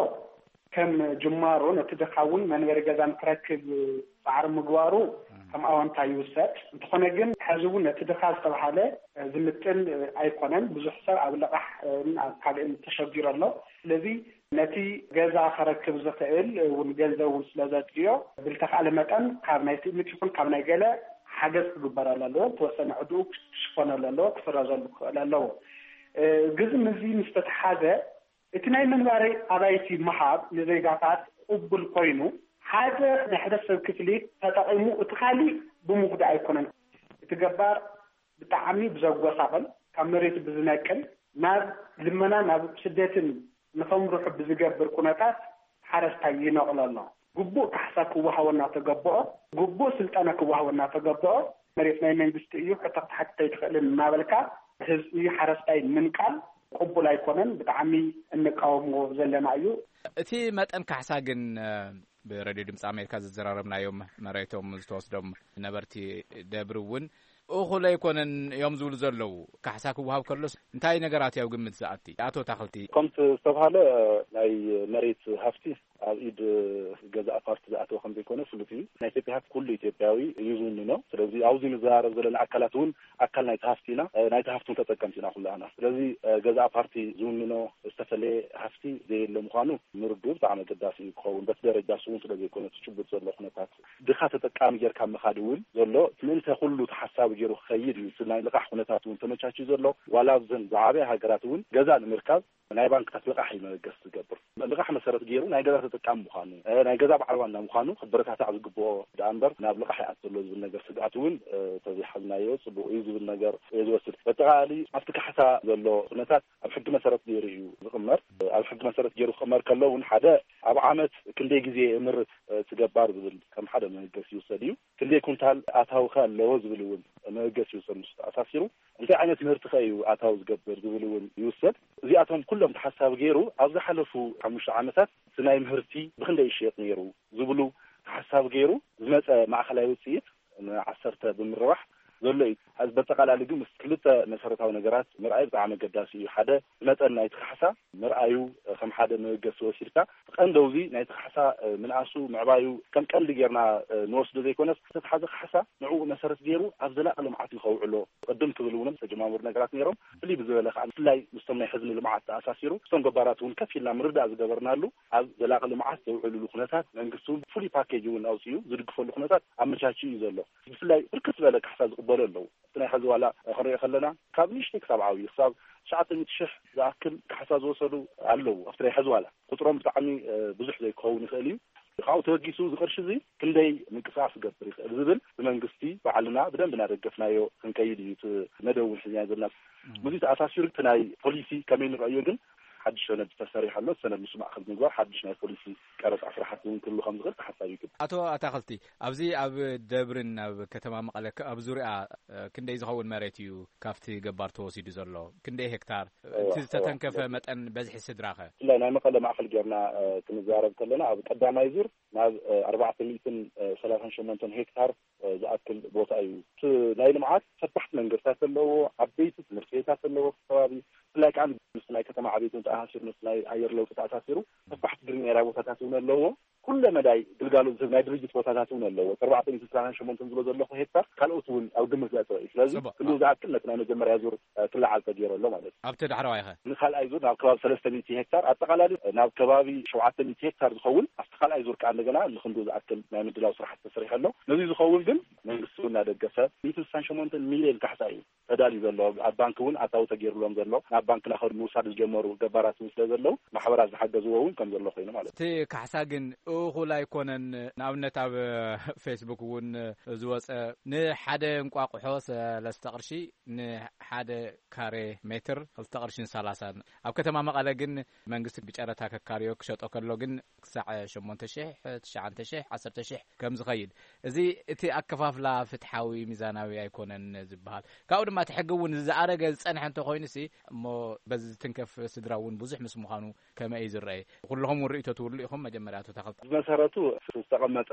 ከም ጅማሮ ነቲ ድኻ እውን መንበሪ ገዛ ንክረክብ ፃዕሪ ምግባሩ ከም ኣወንታ ይውሰድ። እንተኾነ ግን ሕዚ እውን ነቲ ድኻ ዝተባሃለ ዝምጥን ኣይኮነን። ብዙሕ ሰብ ኣብ ልቓሕ ኣብ ካልእን ተሸጊሩ ኣሎ። ስለዚ ነቲ ገዛ ከረክብ ዝኽእል እውን ገንዘብ እውን ስለ ዘጥርዮ ብልተኻእለ መጠን ካብ ናይ ትእምት ይኹን ካብ ናይ ገለ ሓገዝ ክግበረሉ ኣለዎ። ዝተወሰነ ዕድኡ ክሽፈነሉ ኣለዎ፣ ክስረዘሉ ክኽእል ኣለዎ። እ፣ ግዚ ምስዚ ምስ ተተሓዘ እቲ ናይ መንበሪ ኣባይቲ ምሃብ ንዜጋታት ቅቡል ኮይኑ ሓደ ናይ ሕብረተሰብ ክፍሊ ተጠቒሙ እቲ ካሊእ ብምጉዳእ ኣይኮነን። እቲ ገባር ብጣዕሚ ብዘጎሳቕል ካብ መሬቱ ብዝነቅል ናብ ልመና ናብ ስደትን ንኸምርሑ ብዝገብር ኩነታት ሓረስታይ ይነቕሎ ኣሎ። ግቡእ ካሕሳ ክወሃቦ እናተገበኦ፣ ግቡእ ስልጠና ክወሃቦ እናተገበኦ፣ መሬት ናይ መንግስቲ እዩ፣ ሕቶ ክትሓትት ኣይትኽእልን እናበልካ ህዝቢ ሓረስታይ ምንቃል ቅቡል ኣይኮነን። ብጣዕሚ እንቃወሞ ዘለና እዩ። እቲ መጠን ካሕሳ ግን፣ እ፣ ብሬድዮ ድምፂ ኣሜሪካ ዝዘራረብናዮም መሬቶም ዝተወስዶም ነበርቲ ደብሪ እውን እኹል ኣይኮነን እዮም ዝብሉ ዘለዉ። ካሕሳ ክወሃብ ከሎስ እንታይ ነገራት እዩ ኣብ ግምት ዝኣቲ? ኣቶ ታኽልቲ። ከምቲ ዝተብሃለ ናይ መሬት ሃፍቲ ኣብ ኢድ ገዛእ ፓርቲ ዝኣተወ ከም ዘይኮነ ፍሉጥ እዩ። ናይ ኢትዮጵያ ሃፍቲ ኩሉ ኢትዮጵያዊ እዩ ዝውንኖ። ስለዚ ኣብዚ ንዘራረብ ዘለና ኣካላት እውን ኣካል ናይቲ ሃፍቲ ኢና። ናይቲ ሃፍቲ እውን ተጠቀምቲ ኢና ኩላህና። ስለዚ ገዛእ ፓርቲ ዝውንኖ፣ እቲ ዝተፈለየ ሃፍቲ ዘየለ ምዃኑ ምርዱ ብጣዕሚ ኣገዳሲ እዩ ክኸውን። በቲ ደረጃ ስውን ስለ ዘይኮነ እቲ ጭቡጥ ዘሎ ኩነታት ድኻ ተጠቃሚ ጌርካ ምኻድ እውን ዘሎ እቲ ምእንተ ኩሉ ተሓሳቢ ገይሩ ክኸይድ እዩ። እቲ ናይ ልቓሕ ኩነታት እውን ተመቻችዩ ዘሎ ዋላ ኣብዘን ዝዓበያ ሃገራት እውን ገዛ ንምርካብ ናይ ባንክታት ልቓሕ እዩ መበገሲ ዝገብር። ልቓሕ መሰረት ገይሩ ናይ ገዛ ተጠቃሚ ምዃኑ፣ ናይ ገዛ በዓል ዋና ምዃኑ ክበረታታዕ ዝግብኦ ደኣ እምበር ናብ ልቓሕ ይኣቱ ዘሎ ዝብል ነገር ስግኣት እውን ተዘይሓዝናዮ ጽቡቕ እዩ ዝብል ነገር እየ ዝወስድ። በጠቓላሊ ኣብቲ ካሕሳ ዘሎ ኩነታት ኣብ ሕጊ መሰረት ገይሩ እዩ ዝቕመር። ኣብ ሕጊ መሰረት ገይሩ ክቕመር ከሎ እውን ሓደ ኣብ ዓመት ክንደይ ግዜ የምርት እቲ ገባር ዝብል ከም ሓደ መበገሲ ይውሰድ እዩ። ክንደይ ኩንታል ኣታዊ ከ ኣለዎ ዝብል እውን መበገሲ ይውሰድ። ምስ ተኣሳሲሩ እንታይ ዓይነት ምህርቲ ከ እዩ ኣታዊ ዝገብር ዝብል እውን ይውሰድ። እዚኣቶም ኩሎም ተሓሳቢ ገይሩ ኣብ ዝሓለፉ ሓሙሽተ ዓመታት እቲ ናይ ምህርቲ ብክንደይ ይሽየጥ ነይሩ ዝብሉ ተሓሳቢ ገይሩ ዝመፀ ማእኸላይ ውፅኢት ንዓሰርተ ብምርባሕ ዘሎ እዩ። በጠቓላሊ ግን ምስ ክልተ መሰረታዊ ነገራት ምርኣይ ብጣዕሚ ኣገዳሲ እዩ። ሓደ መጠን ናይቲ ካሕሳ ምርኣዩ ከም ሓደ መበገሲ ወሲድካ ቀንደውዚ ናይቲ ካሕሳ ምንኣሱ ምዕባዩ ከም ቀንዲ ጌርና ንወስዶ ዘይኮነስ ዝተትሓዘ ካሕሳ ንዕኡ መሰረት ገይሩ ኣብ ዘላቂ ልምዓት ንኸውዕሎ ቅድም ክብል እውን ዝተጀማመሩ ነገራት ነይሮም። ፍልይ ብዝበለ ከዓ ብፍላይ ምስቶም ናይ ሕዝኒ ልምዓት ተኣሳሲሩ ምስቶም ገባራት እውን ከፍ ኢልና ምርዳእ ዝገበርናሉ ኣብ ዘላቂ ልምዓት ዘውዕልሉ ኩነታት መንግስቲ እውን ፍሉይ ፓኬጅ እውን ኣውፅኡ ዝድግፈሉ ኩነታት ኣመቻችኡ እዩ ዘሎ። ብፍላይ ብርክት ዝበለ ካሕሳ ዝቕበሉ ኣለዉ። እቲ ናይ ሕዚ ዋላ ክንሪኦ ከለና ካብ ንእሽተይ ክሳብ ዓብዩ ክሳብ ትሽዓተ ሚእቲ ሽሕ ዝኣክል ካሕሳ ዝወሰዱ ኣለዉ። ኣብቲ ናይ ሕዚ ዋላ ቁፅሮም ብጣዕሚ ብዙሕ ዘይክኸውን ይኽእል እዩ። ካብኡ ተበጊሱ እዚ ቅርሺ እዚ ክንደይ ምንቅስቃስ ክገብር ይኽእል ዝብል ብመንግስቲ ባዕልና ብደንብ እናደገፍናዮ ክንከይድ እዩ እቲ መደብ እውን ሒዝና ዘለና። ምስዚ ተኣሳሲሩ እቲ ናይ ፖሊሲ ከመይ ንረእዮ ግን ሓድሽ ሰነድ ተሰሪሑ ኣሎ። ሰነድ ምስ ማእኸል ምግባር ሓድሽ ናይ ፖሊሲ ቀረፃ ስራሕቲ እውን ክህሉ ከም ዝኽእል ተሓሳቢ ይግበር። ኣቶ ኣታኽልቲ፣ ኣብዚ ኣብ ደብርን ኣብ ከተማ መቐለ ከ-፣ ኣብ ዙሪያ እ፣ ክንደይ ዝኸውን መሬት እዩ ካብቲ ገባር ተወሲዱ ዘሎ? ክንደይ ሄክታር? እቲ እዋ፣ እዋ፣ ዝተተንከፈ እዋ። መጠን በዝሒ ስድራ ኸ? ብፍላይ ናይ መቐለ ማእኸል ጌርና እ፣ ክንዘራረብ ከለና ኣብ ቀዳማይ ዙር ናብ እ፣ ኣርባዕተ ሚእትን ሰላሳን ሸሞንተን ሄክታር እ፣ ዝኣክል ቦታ እዩ። እቲ ናይ ልምዓት ሰፋሕቲ መንገድታት ኣለዎ፣ ዓበይቲ ትምህርቲ ቤታት ኣለዎ፣ እቲ ከባቢ ብፍላይ ከዓ ምስ ናይ ከተማ ዕቤት እውን ተኣሳሲሩ ምስ ናይ ኣየር ለውጢ ተኣሳሲሩ ሰፋሕቲ ግሪን ኤርያ ቦታታት እውን ኣለዎ። ኩለ መዳይ ግልጋሎት ዝህብ ናይ ድርጅት ቦታታት እውን ኣለዎ። እቲ ኣርባዕተ ሚእትን ሰላሳን ሸሞንተን ዝብሎ ዘለኹ ሄክታር ካልኦት እውን ኣብ ግምት ዘእተወ እዩ። ስለዚ ጽቡቕ። ክንድኡ ዝኣክል ነቲ ናይ መጀመርያ ዙር እ፣ ክለዓል ተገይሩ ኣሎ ማለት እዩ። ኣብቲ ዳሕረዋይ ኸ? ንኻልኣይ ዙር ናብ ከባቢ ሰለስተ ሚእቲ ሄክታር ኣጠቓላሊ እ፣ ናብ ከባቢ ሸውዓተ ሚእቲ ሄክታር ዝኸውን ኣብቲ ካልኣይ ዙር ከዓ እንደገና ንክንድኡ ዝኣክል ናይ ምድላው ስራሕቲ ተሰሪሑ ኣሎ። ነዚ ዝኸውን ግን መንግስቲ እውን እናደገፈ ሚእትን ስሳን ሸሞንተን ሚልዮን ካሕሳ እዩ ተዳልዩ ዘሎ። ኣብ ባንክ እውን ኣታዊ ተገይሩሎም ዘሎ ናብ ባንክ ናኸዱ ምውሳድ ዝጀመሩ ገባራት እውን ስለ ዘለዉ ማሕበራት ዝሓገዝዎ እውን ከም ዘሎ ኮይኑ ማለት እዩ። እቲ ካሕሳ ግን እኹል ኣይኮነን። ንኣብነት ኣብ ፌስቡክ እውን ዝወፀ ንሓደ እንቋቑሖ ሰለስተ ቅርሺ ንሓደ ካሬ ሜትር ክልተ ቅርሽን ሰላሳን። ኣብ ከተማ መቐለ ግን መንግስቲ ብጨረታ ከካርዮ ክሸጦ ከሎ ግን ክሳዕ ሸሞንተ ሽሕ፣ ትሽዓተ ሽሕ፣ ዓሰርተ ሽሕ ከም ዝኸይድ። እዚ እቲ ኣከፋፍላ ፍትሓዊ ሚዛናዊ ኣይኮነን ዝበሃል። ካብኡ ድማ እቲ ሕጊ እውን ዝኣረገ ዝጸንሐ እንተኾይኑሲ እሞ በዚ ዝትንከፍ ስድራ እውን ብዙሕ ምስ ምዃኑ ከመይ እዩ ዝረአ? ኩልኹም እውን ርእይቶ ትብሉ ኢኹም። መጀመርያ ኣቶ ተኽልተ። ብመሰረቱ ዝተቐመጠ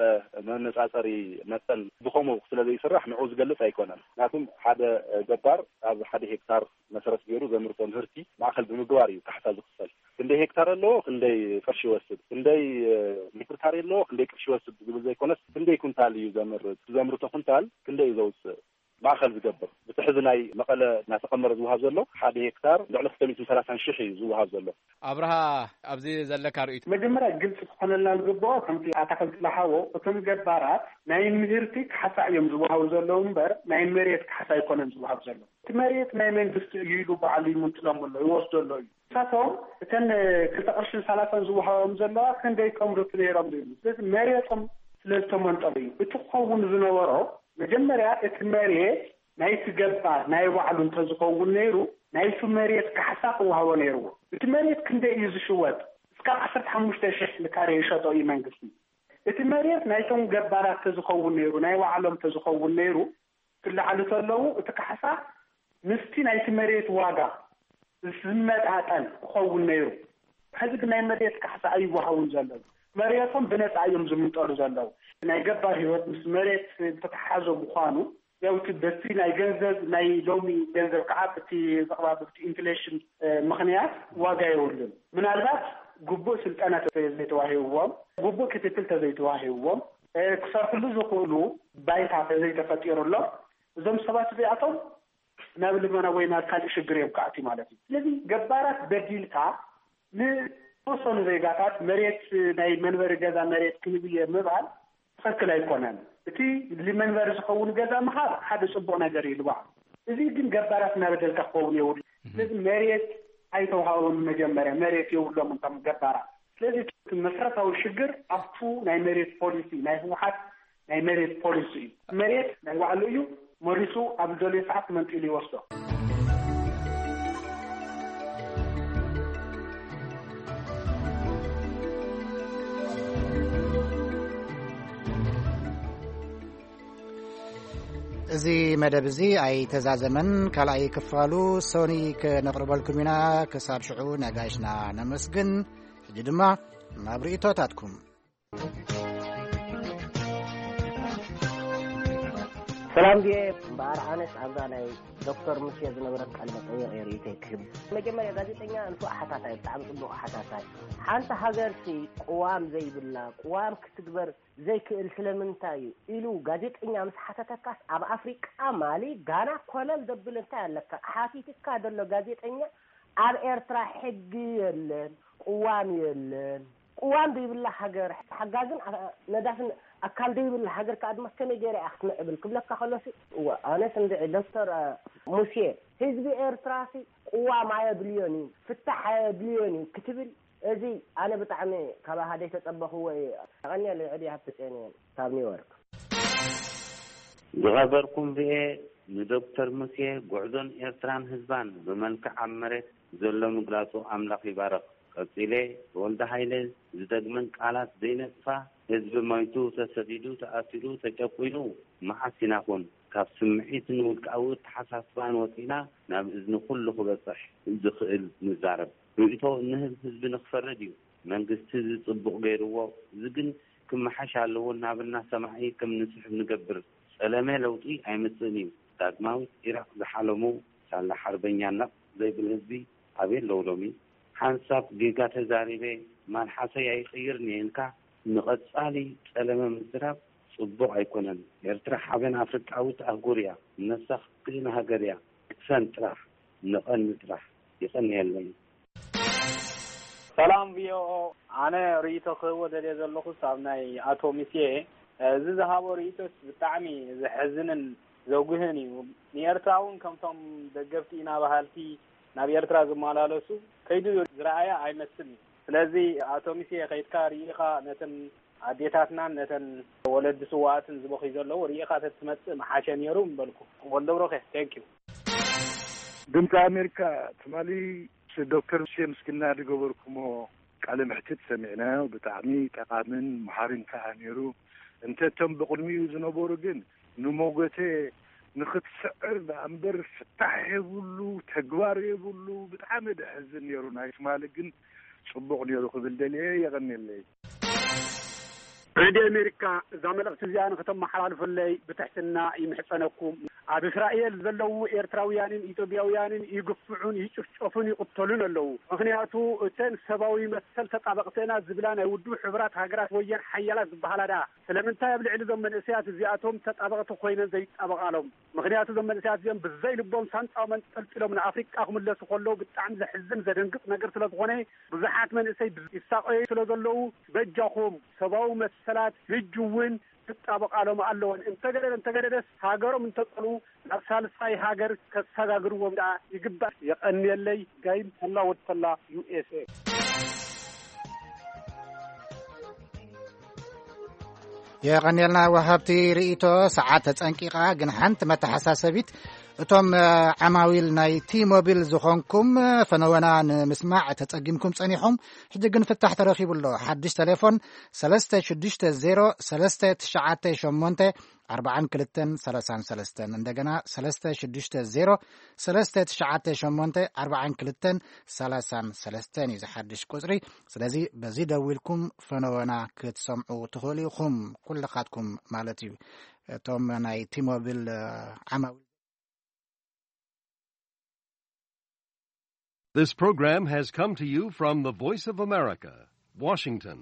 መነጻጸሪ መጠን ብኸምኡ ስለ ዘይስራሕ ንዕኡ ዝገልጽ ኣይኮነን። ምክንያቱም ሓደ ገባር ኣብ ሓደ ሄክታር መሰረት ገይሩ ዘምርቶ ምህርቲ ማእከል ብምግባር እዩ ካሕሳ ዝኽፈል። ክንደይ ሄክታር ኣለዎ፣ ክንደይ ቅርሺ ይወስድ፣ ክንደይ ሜትር ካሬ ኣለዎ፣ ክንደይ ቅርሺ ይወስድ ዝብል ዘይኮነስ ክንደይ ኩንታል እዩ ዘምርት፣ ዘምርቶ ኩንታል ክንደይ እዩ ዘውፅእ ማእከል ዝገብር። ብትሕዚ ናይ መቐለ እናተቐመረ ዝወሃብ ዘሎ ሓደ ሄክታር ልዕሊ ክልተ ሚእትን ሰላሳን ሽሕ እዩ ዝወሃብ ዘሎ። ኣብርሃ፣ ኣብዚ ዘለካ ርእይቶ? መጀመርያ ግልፂ ክኾነልና ዝግብኦ ከምቲ ኣታኽልቲ ዝሓቦ እቶም ገባራት ናይ ምህርቲ ካሕሳ እዮም ዝወሃቡ ዘለዉ እምበር ናይ መሬት ካሕሳ ኣይኮነን ዝወሃብ ዘሎ። እቲ መሬት ናይ መንግስቲ እዩ ኢሉ ባዕሉ ይምንጥሎም ኣሎ፣ ይወስዶ ኣሎ እዩ። ንሳቶም እተን ክልተ ቅርሽን ሰላሳን ዝወሃቦም ዘለዋ ክንደይ ከምርቱ ነይሮም ዶ ይብሉ። ስለዚ መሬቶም ስለ ዝተመንጠሉ እዩ። እቲ ክኸውን ዝነበሮ መጀመርያ እቲ መሬት ናይቲ ገባር ናይ ባዕሉ እንተዝኸውን ነይሩ ናይቲ መሬት ካሕሳ ክወሃቦ ነይርዎ። እቲ መሬት ክንደይ እዩ ዝሽወጥ? እስካብ ዓሰርተ ሓሙሽተ ሽሕ ንካሬ ይሸጦ እዩ መንግስቲ። እቲ መሬት ናይቶም ገባራት ተዝኸውን ነይሩ ናይ ባዕሎም ተዝኸውን ነይሩ ክለዓሉ ከለዉ እቲ ካሕሳ ምስቲ ናይቲ መሬት ዋጋ ዝመጣጠን ክኸውን ነይሩ። ሕዚ ግን ናይ መሬት ካሕሳ ኣይወሃቡን ዘለዉ። መሬቶም ብነፃ እዮም ዝምንጠሉ ዘለዉ። ናይ ገባር ህይወት ምስ መሬት ዝተተሓሓዘ ምዃኑ ያው እቲ በቲ ናይ ገንዘብ ናይ ሎሚ ገንዘብ ከዓ ብቲ ዘቕባብ ብቲ ኢንፍሌሽን ምኽንያት ዋጋ የብሉን። ምናልባት ግቡእ ስልጠና ተዘይተዋሂብዎም፣ ግቡእ ክትትል ተዘይተዋሂብዎም፣ ክሰርሕሉ ዝኽእሉ ባይታ ተዘይተፈጢሩሎም እዞም ሰባት እዚኣቶም ናብ ልመና ወይ ናብ ካልእ ሽግር እዮም ክኣትዩ ማለት እዩ። ስለዚ ገባራት በዲልካ ንተወሰኑ ዜጋታት መሬት፣ ናይ መንበሪ ገዛ መሬት ክህብ እየ ምባል ትኽክል ኣይኮነን። እቲ ንመንበሪ ዝኸውን ገዛ ምሃብ ሓደ ጽቡቕ ነገር እዩ ልባዕ። እዚ ግን ገባራት እናበደልካ ክኸውን የብሉ። ስለዚ መሬት ኣይተውሃቦም፣ መጀመርያ መሬት የብሎም እንቶም ገባራት። ስለዚ እቲ መሰረታዊ ሽግር ኣብቱ ናይ መሬት ፖሊሲ፣ ናይ ህወሓት ናይ መሬት ፖሊሲ እዩ። መሬት ናይ ባዕሉ እዩ፣ መሪሱ ኣብ ዝደልዮ ሰዓት መንጢሉ ይወስዶ። እዚ መደብ እዚ ኣይተዛዘመን። ካልኣይ ክፋሉ ሶኒ ክነቕርበልኩም ኢና። ክሳብ ሽዑ ነጋይሽና ነመስግን። ሕጂ ድማ ናብ ርእይቶታትኩም። ሰላም ድየ እምበኣር፣ ኣነስ ኣብዛ ናይ ዶክተር ሙሴ ዝነበረት ቃለ መጠይቕ እየ ርእይቶይ ክህብ። መጀመርያ ጋዜጠኛ ንፉዕ ሓታታይ፣ ብጣዕሚ ጽቡቕ ሓታታይ። ሓንቲ ሃገርሲ ቅዋም ዘይብላ፣ ቅዋም ክትግበር ዘይክእል ስለምንታይ እዩ ኢሉ ጋዜጠኛ ምስ ሓተተካስ፣ ኣብ ኣፍሪቃ ማሊ፣ ጋና ኮለል ዘብል እንታይ ኣለካ? ሓቲትካ ዘሎ ጋዜጠኛ ኣብ ኤርትራ ሕጊ የለን፣ ቅዋም የለን። ቅዋም ዘይብላ ሃገር፣ ሓጋዝን ኣ- ነዳፍን ኣካል ዘይብላ ሃገር ከኣ ድማ ከመይ ገይራ እያ ክትምዕብል ክብለካ ከሎሲ፣ እወ፣ ኣነስ እንድዒ ዶክተር እ፣ ሙሴ፣ ህዝቢ ኤርትራሲ ቅዋም ኣየድልዮን እዩ፣ ፍታሕ ኣየድልዮን እዩ ክትብል፣ እዚ ኣነ ብጣዕሚ ካብ ኣሃደይ ተጸበኽዎ እየ። ኣቐንየለይ ዕድየ ሃብቲ ጼን እየን ካብ ኒውዮርክ። ዝኸበርኩም ርኤ ንዶክተር ሙሴ ጉዕዞን ኤርትራን ህዝባን ብመልክዕ ኣብ መሬት ዘሎ ምግላጹ ኣምላኽ ይባርኽ። ቀጺለ ብወልደ ሃይለ ዝደግመን ቃላት ዘይነጽፋ፣ ህዝቢ ሞይቱ፣ ተሰዲዱ፣ ተኣሲሩ፣ ተጨቁኑ፣ መዓስ ኢና ኹን ካብ ስምዒትን ውልቃዊ ኣተሓሳስባን ወጺና ናብ እዝኒ ኩሉ ክበጽሕ ዝኽእል ንዛረብ? ርእይቶ እንህብ ህዝቢ ንኽፈርድ እዩ። መንግስቲ እዚ ጽቡቕ ገይርዎ፣ እዚ ግን ክመሓሽ ኣለዎ እናበልና ሰማዒ ከም ንስሕብ ንገብር። ጸለመ ለውጢ ኣይመጽእን እዩ። ዳግማዊት ኢራቕ ዝሓለሙ ሳላ ሓርበኛ ነቕ ዘይብል ህዝቢ ኣበይ ኣለዉ ሎሚ? ሓንሳብ ጌጋ ተዛሪበ ማልሓሰይ ኣይቕይርን እየ ኢልካ ንቐጻሊ ጸለመ ምዝራብ ጽቡቕ ኣይኮነን። ኤርትራ ሓበን ኣፍሪቃዊት ኣህጉር እያ። ነብሳ ክትክእን ሃገር እያ። ቅሰን ጥራሕ፣ ንቐኒ ጥራሕ። ይቐንየለይ። ሰላም ቪኦኦ፣ ኣነ ርእይቶ ክህቦ ደልየ ዘለኹስ ኣብ ናይ ኣቶ ሚስየ፣ እዚ ዝሃቦ ርእይቶስ ብጣዕሚ ዘሕዝንን ዘጉህን እዩ። ንኤርትራ እውን ከምቶም ደገፍቲ ኢና በሃልቲ ናብ ኤርትራ ዝመላለሱ ከይዱ ዝረኣያ ኣይመስልን እዩ። ስለዚ ኣቶ ሚስየ ከይድካ ርኢኻ ነተን ኣዴታትናን ነተን ወለዲ ስዋኣትን ዝበኽዩ ዘለዉ ርኢኻ ተትመጽእ ምሓሸ ነይሩ ምበልኩ። ወልደብሮኸ፣ thank you። ድምፂ ኣሜሪካ ትማሊ ምስ ዶክተር ሙሴ ምስግና ዝገበርኩሞ ቃለ መሕትት ሰሚዕናዮ። ብጣዕሚ ጠቓምን መሃርን ከኣ ነይሩ። እንተ እቶም ብቕድሚኡ ዝነበሩ ግን ንሞገተ ንኽትስዕር ደኣ እምበር ፍታሕ የብሉ፣ ተግባር የብሉ። ብጣዕሚ ደሕዝን ነይሩ። ናይ ትማሊ ግን ጽቡቕ ነይሩ ክብል ደልየ። የቐንየለይ። ሬድዮ ኣሜሪካ፣ እዛ መልእኽቲ እዚኣ ንኽተመሓላልፉለይ ብትሕትና ይምሕጸነኩም። ኣብ እስራኤል ዘለዉ ኤርትራውያንን ኢትዮጵያውያንን ይግፍዑን ይጭፍጨፉን ይቕተሉን ኣለዉ። ምኽንያቱ እተን ሰብኣዊ መሰል ተጣበቕቲ ኢና ዝብላ ናይ ውድብ ሕቡራት ሃገራት ወየን ሓያላት ዝበሃላ ደኣ ስለምንታይ ኣብ ልዕሊ እዞም መንእሰያት እዚኣቶም ተጣበቕቲ ኮይነን ዘይጣበቓሎም? ምኽንያቱ እዞም መንእሰያት እዚኦም ብዘይ ልቦም ሳንጣኦም ኣንጠልጢሎም ንኣፍሪቃ ክምለሱ ከለዉ ብጣዕሚ ዘሕዝን ዘደንግጽ ነገር ስለ ዝኾነ ብዙሓት መንእሰይ ይሳቐዩ ስለ ዘለዉ በጃኹም ሰብኣዊ መሰላት ሕጂ እውን ክጣበቓሎም ኣለወን። እንተገደደ እንተገደደስ ሃገሮም እንተጸልኡ ናብ ሳልሳይ ሃገር ከሰጋግርዎም ደኣ ይግባእ። የቐንየለይ። ጋይም ተላ ወድ ተላ ዩኤስኤ። የቐንየልና ወሃብቲ ርእይቶ። ሰዓት ተጸንቂቓ፣ ግን ሓንቲ መተሓሳሰቢት፣ እቶም ዓማዊል ናይ ቲ ሞቢል ዝኾንኩም ፈነወና ንምስማዕ ተጸጊምኩም ጸኒኹም። ሕጂ ግን ፍታሕ ተረኺቡ ኣሎ። ሓድሽ ቴሌፎን ሰለስተ ሽዱሽተ ዜሮ ሰለስተ ትሽዓተ ሸሞንተ ኣርባዓን ክልተን ሰላሳን ሰለስተን፣ እንደገና ሰለስተ ሽዱሽተ ዜሮ ሰለስተ ትሽዓተ ሸሞንተ ኣርባዓን ክልተን ሰላሳን ሰለስተን እዩ ዝሓድሽ ቁጽሪ። ስለዚ በዚ ደዊልኩም ፈነወና ክትሰምዑ ትኽእሉ ኢኹም፣ ኩልኻትኩም ማለት እዩ። እቶም ናይ ቲሞቢል ዓማዊል። This program has come to you from the Voice of America, Washington.